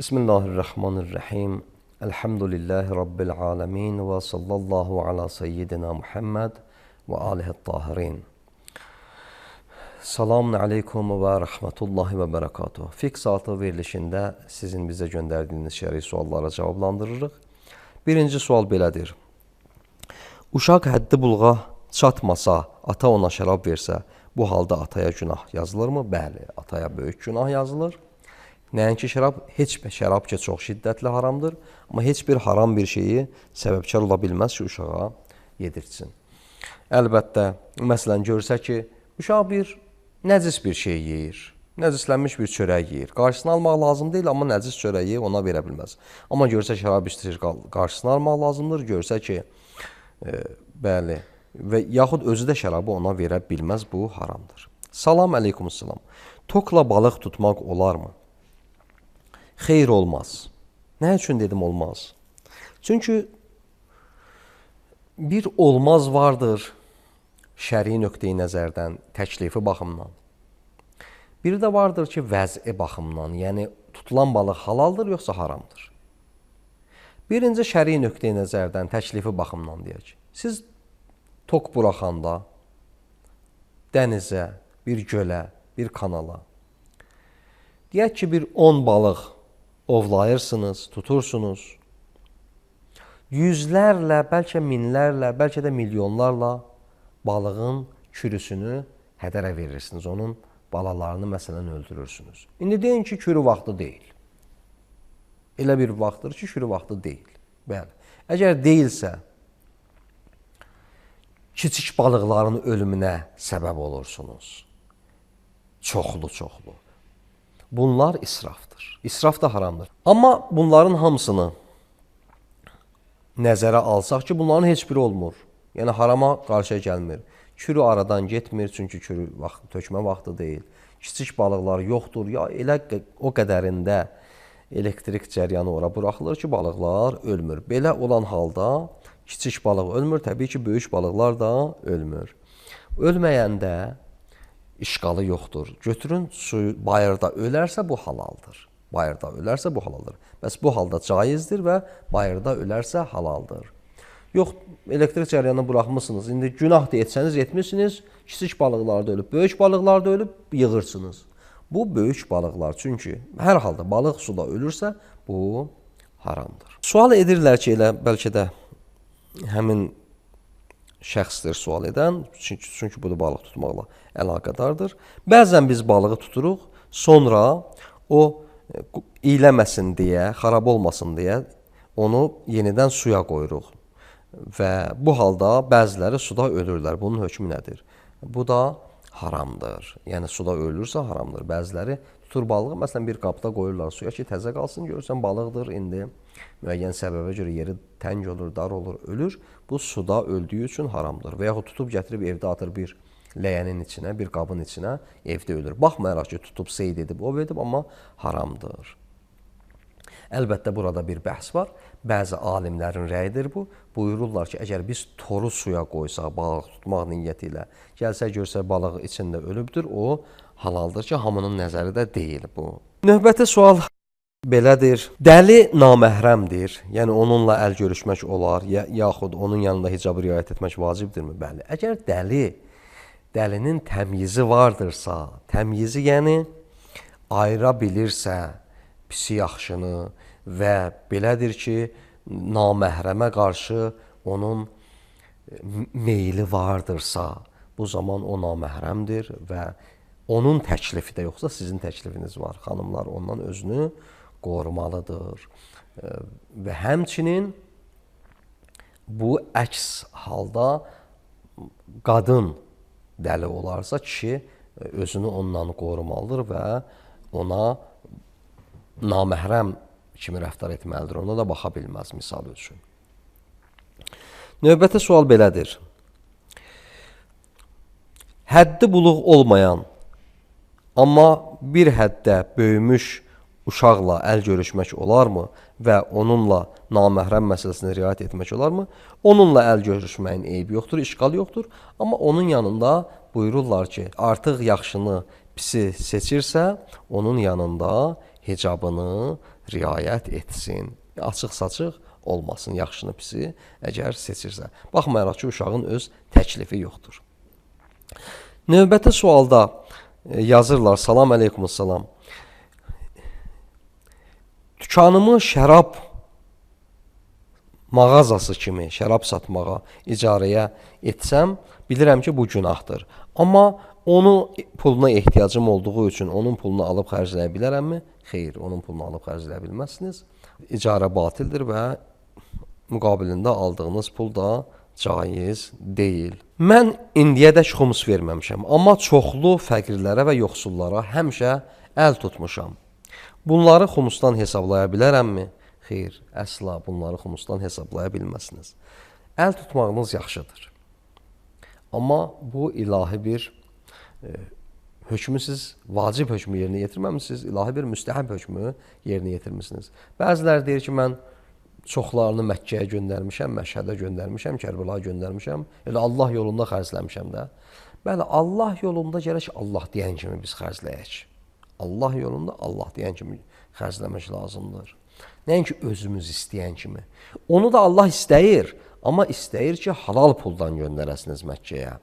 Bismillahirrahmanirrahim. Elhamdülillahi Rabbil alemin ve sallallahu ala seyyidina Muhammed ve alihi tahirin. Selamun aleykum və rəhmətullahi və bərəkatuhu. Fiqh saatı verilişində sizin bizə göndərdiyiniz şəri suallara cavablandırırıq. Birinci sual belədir. Uşaq həddi buluğa çatmasa, ata ona şərab versə, bu halda ataya günah yazılırmı? Bəli, ataya böyük günah yazılır. Nəinki şərab, heç bir şərab ki, çox şiddətli haramdır. Amma heç bir haram bir şeyi səbəbkar ola bilməz ki, uşağa yedirsin. Əlbəttə, məsələn, görsə ki, uşaq bir nəcis bir şey yeyir, nəcislənmiş bir çörək yeyir. Qarşısını almaq lazım deyil, amma nəcis çörəyi ona verə bilməz. Amma görsə şərab içir, qarşısını almaq lazımdır. Görsə ki, bəli, və yaxud özü də şərabı ona verə bilməz, bu haramdır. Salam əleykumussalam. Tokla balıq tutmaq olarmı? Xeyr, olmaz. Nə üçün dedim olmaz? Çünki bir olmaz vardır şəri nöqteyi nəzərdən, təklifi baxımdan. Bir də vardır ki, vəz'i baxımdan, yəni tutulan balıq halaldır, yoxsa haramdır. Birinci şəri nöqteyi nəzərdən, təklifi baxımdan deyək. Siz tok buraxanda dənizə, bir gölə, bir kanala, deyək ki, bir 10 balıq ovlayırsınız, tutursunuz. Yüzlərlə, bəlkə minlərlə, bəlkə də milyonlarla balığın kürüsünü hədərə verirsiniz. Onun balalarını məsələn öldürürsünüz. İndi deyin ki, kürü vaxtı deyil. Elə bir vaxtdır ki, kürü vaxtı deyil. Bəli. Əgər deyilsə, kiçik balıqların ölümünə səbəb olursunuz. Çoxlu. Bunlar israfdır. İsraf da haramdır. Amma bunların hamısını nəzərə alsaq ki, bunların heç biri olmur. Yəni harama qarşıya gəlmir. Kürü aradan getmir, çünki kürü tökmə vaxtı deyil. Kiçik balıqlar yoxdur. Ya elə o qədərində elektrik cəryanı ora buraxılır ki, balıqlar ölmür. Belə olan halda kiçik balıq ölmür, təbii ki, böyük balıqlar da ölmür. Ölməyəndə işqalı yoxdur. Götürün suyu, bayırda ölərsə bu halaldır. Bayırda ölərsə bu halaldır. Bəs bu halda caizdir və bayırda ölərsə halaldır. Yox, elektrik cəryanını buraxmışsınız. İndi günah da etsəniz etmişsiniz. Kiçik balıqlar da ölüb, böyük balıqlar da ölüb, yığırsınız. Bu böyük balıqlar. Çünki hər halda balıq suda ölürsə bu haramdır. Sual edirlər ki, elə bəlkə də həmin şəxsdir sual edən, çünki bu da balıq tutmaqla əlaqədardır. Bəzən biz balığı tuturuq, sonra o iyləməsin deyə, xarab olmasın deyə onu yenidən suya qoyuruq. Və bu halda bəziləri suda ölürlər. Bunun hökmü nədir? Bu da haramdır. Yəni suda ölürsə haramdır. Bəziləri tutur balığı, məsələn bir qabda qoyurlar suya ki, təzə qalsın, görürsən balıqdır, indi müəyyən səbəbə görə yeri təng olur, dar olur, ölür. Bu suda öldüyü üçün haramdır. Və yaxud tutub gətirib evdə atır bir ləyənin içinə, bir qabın içinə, evdə ölür. Baxmayaraq ki, tutub seyd edib, ov edib, amma haramdır. Əlbəttə, burada bir bəhs var. Bəzi alimlərin rəyidir bu. Buyururlar ki, əgər biz toru suya qoysaq, balıq tutmaq niyyəti ilə, gəlsə, görsə, balıq içində ölübdür, o halaldır ki, hamının nəzəri də deyil bu. Növbəti sual belədir. Dəli naməhrəmdir, yəni onunla əl görüşmək olar, yaxud onun yanında hicabı riayət etmək vacibdirmi? Bəli. Əgər dəlinin təmyizi vardırsa, təmyizi yəni ayıra bilirsə, pisi yaxşını və belədir ki, naməhrəmə qarşı onun meyli vardırsa, bu zaman o naməhrəmdir və onun təklifi də yoxsa sizin təklifiniz var. Xanımlar ondan özünü qorumalıdır. Və həmçinin bu əks halda qadın dəli olarsa kişi özünü ondan qorumalıdır və ona naməhrəm kimi rəftar etməlidir. Ona da baxa bilməz misal üçün. Növbəti sual belədir. Həddi buluq olmayan, amma bir həddə böyümüş uşaqla əl görüşmək olarmı və onunla naməhrəm məsələsini riayət etmək olarmı? Onunla əl görüşməyin eybi yoxdur, işqal yoxdur. Amma onun yanında buyururlar ki, artıq yaxşını, pisi seçirsə, onun yanında hicabını riayət etsin. Açıq-saçıq olmasın, yaxşını, pisi əgər seçirsə. Baxmayaraq ki, uşağın öz təklifi yoxdur. Növbəti sualda yazırlar, salam əleykumussalam. Dükanımı şərab mağazası kimi şərab satmağa icarəyə etsəm, bilirəm ki, bu günahdır. Amma onu puluna ehtiyacım olduğu üçün onun pulunu alıb xərcləyə bilərəmmi? Xeyr, onun pulunu alıb xərcləyə bilməzsiniz. İcarə batildir və müqabilində aldığınız pul da caiz deyil. Mən indiyədək xumus verməmişəm, amma çoxlu fəqirlərə və yoxsullara həmişə əl tutmuşam. Bunları xumusdan hesablaya bilərəmmi? Xeyr, əsla bunları xumusdan hesablaya bilməzsiniz. Əl tutmağınız yaxşıdır. Amma bu ilahi bir hökmü siz vacib hökmü yerinə yetirməmisiniz, ilahi bir müstəhəb hökmü yerinə yetirmişsiniz. Bəziləri deyir ki, mən çoxlarını Məkkəyə göndərmişəm, Məşhədə göndərmişəm, Kərbəlaya göndərmişəm, elə Allah yolunda xərcləmişəm də. Bəli, Allah yolunda gərək Allah deyən kimi biz xərcləyək. Allah yolunda Allah deyən kimi xərcləmək lazımdır. Nəinki özümüz istəyən kimi. Onu da Allah istəyir, amma istəyir ki, halal puldan göndərəsiniz Məkkəyə.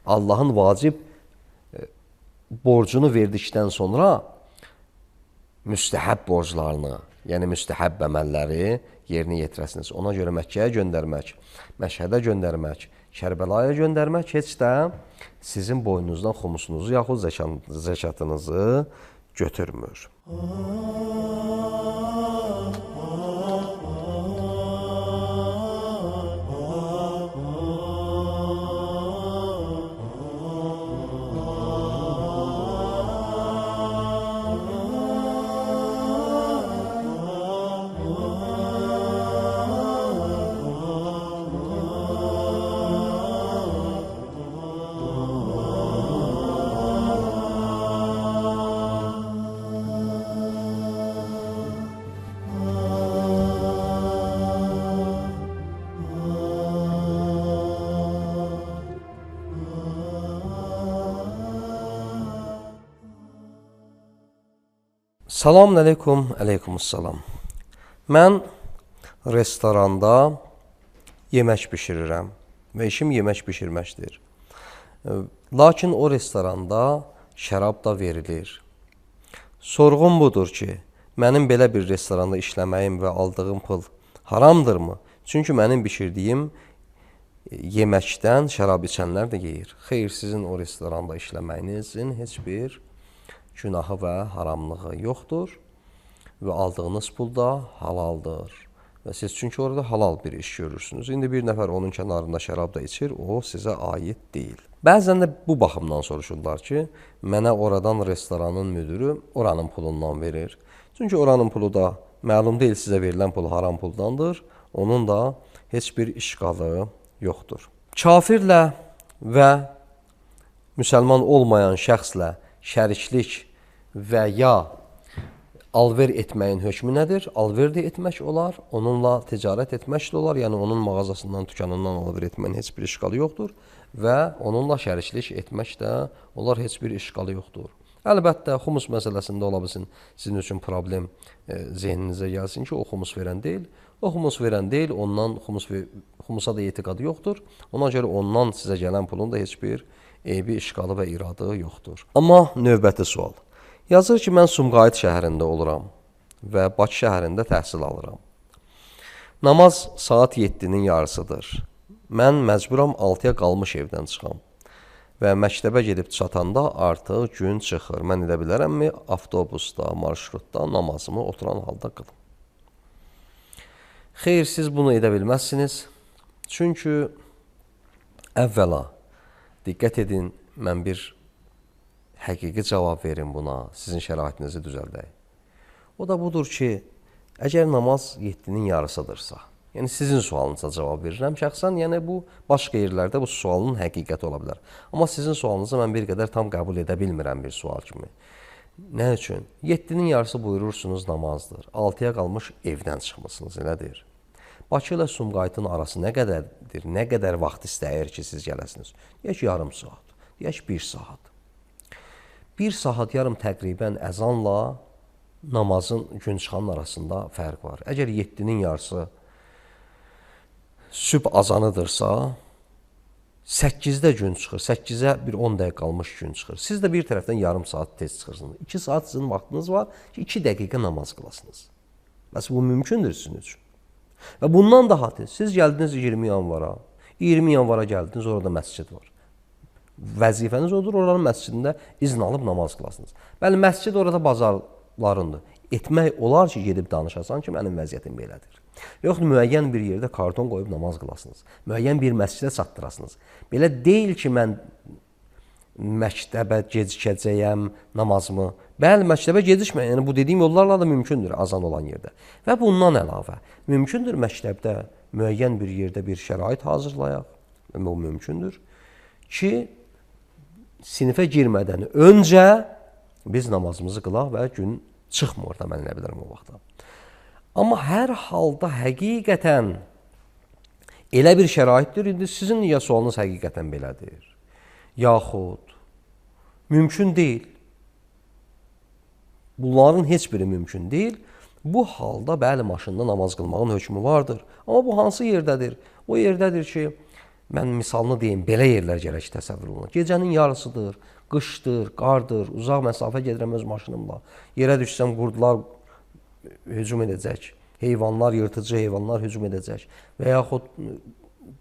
Allahın vacib borcunu verdikdən sonra müstəhəb borclarını, yəni müstəhəb əməlləri yerinə yetirəsiniz. Ona görə Məkkəyə göndərmək, Məşhədə göndərmək, Kərbəlaya göndərmək heç də sizin boynunuzdan xumusunuzu yaxud zəkatınızı götürmür. Salam əleykum, əleykumussalam. Mən restoranda yemək bişirirəm və işim yemək bişirməkdir. Lakin o restoranda şərab da verilir. Sorğum budur ki, mənim belə bir restoranda işləməyim və aldığım pul haramdırmı? Çünki mənim bişirdiyim yeməkdən şərab içənlər də yeyir. Xeyr, sizin o restoranda işləməyinizin heç bir günahı və haramlığı yoxdur və aldığınız pul da halaldır. Və siz çünki orada halal bir iş görürsünüz. İndi bir nəfər onun kənarında şərab da içir, o sizə aid deyil. Bəzən də bu baxımdan soruşurlar ki, mənə oradan restoranın müdürü oranın pulundan verir. Çünki oranın pulu da məlum deyil, sizə verilən pul haram puldandır. Onun da heç bir işqalı yoxdur. Kafirlə və müsəlman olmayan şəxslə şəriklik və ya alver etməyin hökmü nədir? Alver də etmək olar, onunla ticarət etmək də olar, yəni onun mağazasından, dükanından alver etməyin heç bir işqalı yoxdur və onunla şəriklik etmək də olar, heç bir işqalı yoxdur. Əlbəttə, xumus məsələsində ola bilsin, sizin üçün problem zehninizə gəlsin ki, o xumus verən deyil. O xumus verən deyil, ondan xumusa da etiqadı yoxdur. Ona görə ondan sizə gələn pulun da heç bir eybi, işqalı və iradı yoxdur. Amma növbəti sual. Yazır ki, mən Sumqayıt şəhərində oluram və Bakı şəhərində təhsil alıram. Namaz saat 7-nin yarısıdır. Mən məcburam 6-ya qalmış evdən çıxam və məktəbə gedib çatanda artıq gün çıxır. Mən edə bilərəmmi avtobusda, marşrutda namazımı oturan halda qılım? Xeyr, siz bunu edə bilməzsiniz. Çünki əvvəla diqqət edin, mən bir həqiqi cavab verin buna, sizin şəraitinizi düzəldək. O da budur ki, əgər namaz 7-nin yarısıdırsa, yəni sizin sualınıza cavab verirəm şəxsən, yəni bu başqa yerlərdə bu sualın həqiqəti ola bilər. Amma sizin sualınızı mən bir qədər tam qəbul edə bilmirəm bir sual kimi. Nə üçün? 7-nin yarısı buyurursunuz namazdır. 6-ya qalmış evdən çıxmısınız, elədir. Bakı ilə Sumqayıtın arası nə qədərdir? Nə qədər vaxt istəyir ki, siz gələsiniz? Deyək yarım saat, deyək 1 saat. 1 saat yarım təqribən əzanla namazın gün çıxanın arasında fərq var. Əgər 7-nin yarısı sübh azanıdırsa, 8-də gün çıxır, 8-ə bir 10 dəqiqə qalmış gün çıxır. Siz də bir tərəfdən yarım saat tez çıxırsınız. 2 saat sizin vaxtınız var ki, 2 dəqiqə namaz qılasınız. Bəs bu mümkündür sizin üçün. Və bundan daha tez, siz gəldiniz 20 yanvara, 20 yanvara gəldiniz, orada məscid var. Vəzifəniz odur, oranın məscidində izin alıb namaz qılasınız. Bəli, məscid orada bazarlarındır. Etmək olar ki, gedib danışasan ki, mənim vəziyyətim belədir. Yoxdur, müəyyən bir yerdə karton qoyub namaz qılasınız. Müəyyən bir məscidə çatdırasınız. Belə deyil ki, mən məktəbə gecikəcəyəm namazımı. Bəli, məktəbə gecikməyin. Yəni, bu dediyim yollarla da mümkündür azan olan yerdə. Və bundan əlavə, mümkündür məktəbdə müəyyən bir yerdə bir şərait hazırlayaq. Bu mümkündür ki, sinifə girmədən öncə biz namazımızı qılaq və gün çıxmır da mən nə bilirəm o vaxtda. Amma hər halda həqiqətən elə bir şəraitdir, indi sizin ya sualınız həqiqətən belədir, yaxud mümkün deyil. Bunların heç biri mümkün deyil. Bu halda bəli, maşında namaz qılmağın hökmü vardır. Amma bu hansı yerdədir? O yerdədir ki, mən misalını deyim, belə yerlər gərək təsəvvür olunur. Gecənin yarısıdır, qışdır, qardır, uzaq məsafə gedirəm öz maşınımla. Yerə düşsəm qurdular hücum edəcək, heyvanlar, yırtıcı heyvanlar hücum edəcək və yaxud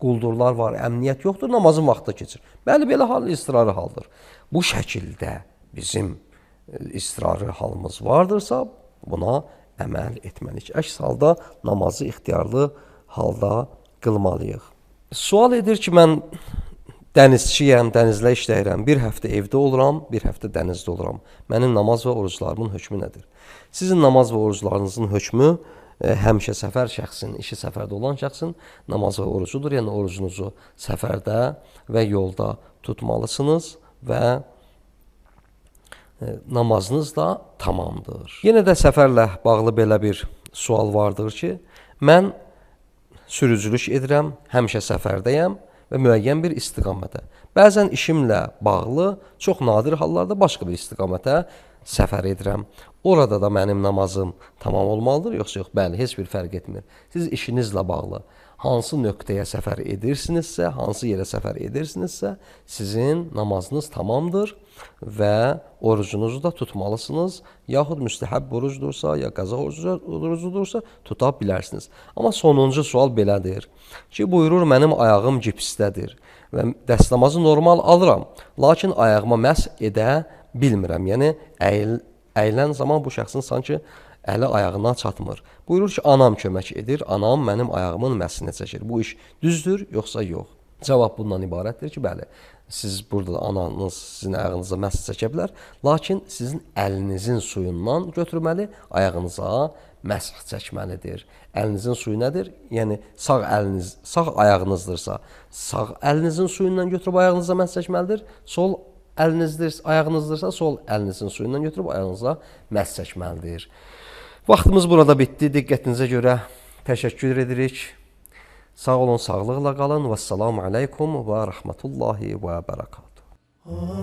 quldurlar var, əmniyyət yoxdur, namazın vaxtı keçir. Bəli, belə hal istirarı haldır. Bu şəkildə bizim istirarı halımız vardırsa, buna əməl etməliyik. Əks halda namazı ixtiyarlı halda qılmalıyıq. Sual edir ki, mən dənizçiyəm, dənizlə işləyirəm, bir həftə evdə oluram, bir həftə dənizdə oluram. Mənim namaz və oruclarımın hökmü nədir? Sizin namaz və oruclarınızın hökmü həmişə səfər şəxsin, işi səfərdə olan şəxsin namaz və orucudur. Yəni, orucunuzu səfərdə və yolda tutmalısınız və namazınız da tamamdır. Yenə də səfərlə bağlı belə bir sual vardır ki, mən sürücülük edirəm, həmişə səfərdəyəm və müəyyən bir istiqamətə. Bəzən işimlə bağlı, çox nadir hallarda başqa bir istiqamətə səfər edirəm. Orada da mənim namazım tamam olmalıdır, yoxsa yox? Bəli, heç bir fərq etmir. Siz işinizlə bağlı hansı nöqtəyə səfər edirsinizsə, hansı yerə səfər edirsinizsə, sizin namazınız tamamdır və orucunuzu da tutmalısınız. Yaxud müstəhəb orucdursa, ya qəza orucudursa tuta bilərsiniz. Amma sonuncu sual belədir ki, buyurur, mənim ayağım gipsdədir və dəstəmazı normal alıram, lakin ayağıma məs edə bilmirəm. Yəni, əyilən zaman bu şəxsin sanki əli ayağına çatmır. Buyurur ki, anam kömək edir, anam mənim ayağımın məsini çəkir. Bu iş düzdür, yoxsa yox? Cavab bundan ibarətdir ki, bəli, siz burada ananız sizin ayağınıza məs çəkə bilər, lakin sizin əlinizin suyundan götürməli, ayağınıza məsx çəkməlidir. Əlinizin suyu nədir? Yəni, sağ ayağınızdırsa, sağ əlinizin suyundan götürüb ayağınıza məsx çəkməlidir, sol ayağınızdırsa, sol əlinizin suyundan götürüb ayağınıza məsx çəkməlidir. Vaxtımız burada bitdi. Diqqətinizə görə təşəkkür edirik. Sağ olun, sağlıqla qalın. Vəssalamu aleykum və rəhmətullahi və bərəkatuhu.